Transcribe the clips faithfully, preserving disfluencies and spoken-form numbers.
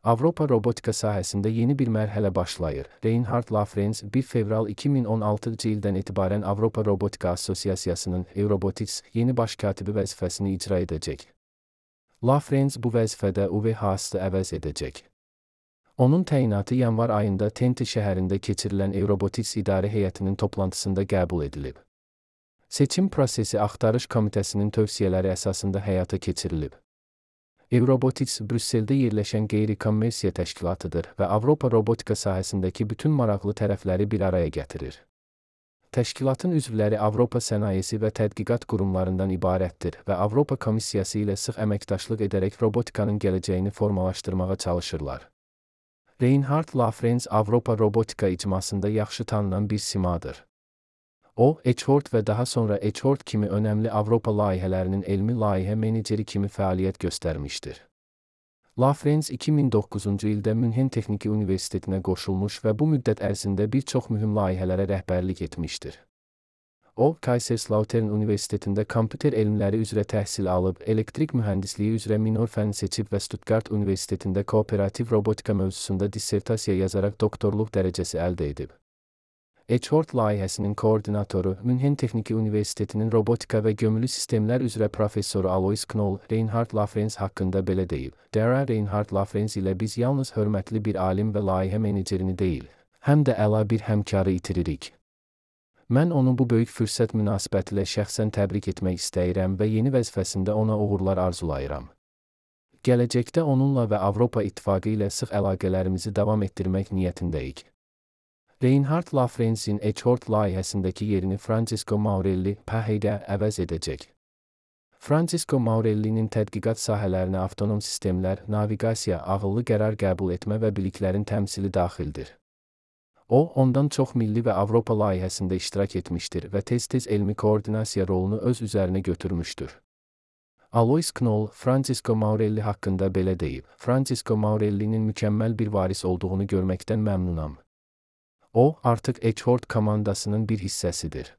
Avropa robotika sahəsində yeni bir mərhələ başlayır. Reinhard Lafrenz bir fevral iki min on altıncı ildən etibarən Avropa Robotika Assosiasiyasının Eurobotics yeni baş katibi vəzifəsini icra edəcək. Lafrenz bu vəzifədə Uwe Haas'ı əvəz edəcək. Onun təyinatı yanvar ayında Twente şəhərində keçirilən Eurobotics İdarə Heyətinin toplantısında qəbul edilib. Seçim prosesi axtarış komitəsinin tövsiyələri əsasında həyata keçirilib. Eurobotics Brüsseldə yerləşən qeyri-kommersiya təşkilatıdır və Avropa robotika sahəsindəki bütün maraqlı tərəfləri bir araya gətirir. Təşkilatın üzvləri Avropa sənayesi və tədqiqat qurumlarından ibarətdir və Avropa Komissiyası ilə sıx əməkdaşlıq edərək robotikanın gələcəyini formalaşdırmağa çalışırlar. Reinhard Lafrenz Avropa robotika icmasında yaxşı tanınan bir simadır. O, Echord və daha sonra Echord kimi önəmli Avropa layihələrinin elmi layihə meneceri kimi fəaliyyət göstərmişdir. Lafrenz iki min doqquzuncu ildə Münhen Texniki Universitetinə qoşulmuş və bu müddət ərzində bir çox mühüm layihələrə rəhbərlik etmişdir. O, Kaiserslautern Universitetində kompüter elmləri üzrə təhsil alıb, elektrik mühəndisliyi üzrə minor fənn seçib və Stuttgart Universitetində kooperativ robotika mövzusunda dissertasiya yazaraq doktorluq dərəcəsi əldə edib. Echord layihəsinin koordinatoru, Münhen Texniki Universitetinin robotika və gömülü sistemlər üzrə professoru Alois Knoll, Reinhard Lafrenz haqqında belə deyib. Dara Reinhard Lafrenz ilə biz yalnız hörmətli bir alim və layihə menecerini deyil, həm də əla bir həmkarı itiririk. Mən onu bu böyük fürsət münasibətilə şəxsən təbrik etmək istəyirəm və yeni vəzifəsində ona uğurlar arzulayıram. Gələcəkdə onunla və Avropa İttifaqı ilə sıx əlaqələrimizi davam etdirmək niyyətindəyik. Reinhard Lafrenzin Echord layihəsindəki yerini Francisco Maurelli P H D əvəz edəcək. Francisco Maurellinin tədqiqat sahələrinə avtonom sistemlər, naviqasiya, ağıllı qərar qəbul etmə və biliklərin təmsili daxildir. O, ondan çox milli və Avropa layihəsində iştirak etmişdir və tez-tez elmi koordinasiya rolunu öz üzərinə götürmüşdür. Alois Knoll, Francisco Maurelli haqqında belə deyib. Francisco Maurellinin mükəmməl bir varis olduğunu görməkdən məmnunam. O, artıq Echord komandasının bir hissəsidir.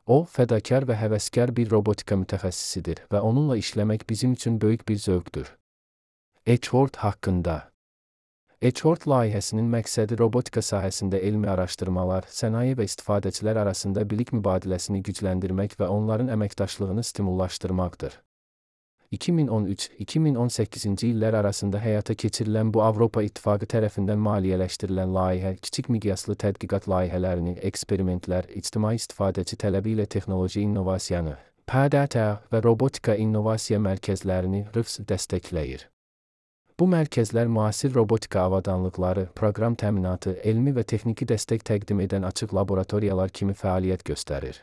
O, fədakar və həvəskar bir robotika mütəxəssisidir və onunla işləmək bizim üçün böyük bir zövqdür. Echord haqqında Echord layihəsinin məqsədi robotika sahəsində elmi araşdırmalar, sənaye və istifadəçilər arasında bilik mübadiləsini gücləndirmək və onların əməkdaşlığını stimullaşdırmaqdır. iki min on üç iki min on səkkizinci illər arasında həyata keçirilən bu Avropa İttifaqı tərəfindən maliyyələşdirilən layihə, kiçik miqyaslı tədqiqat layihələrini, eksperimentlər, ictimai istifadəçi tələbi ilə texnoloji innovasiyanı, P D T və robotika innovasiya mərkəzlərini R I F S dəstəkləyir. Bu mərkəzlər müasir robotika avadanlıqları, proqram təminatı, elmi və texniki dəstək təqdim edən açıq laboratoriyalar kimi fəaliyyət göstərir.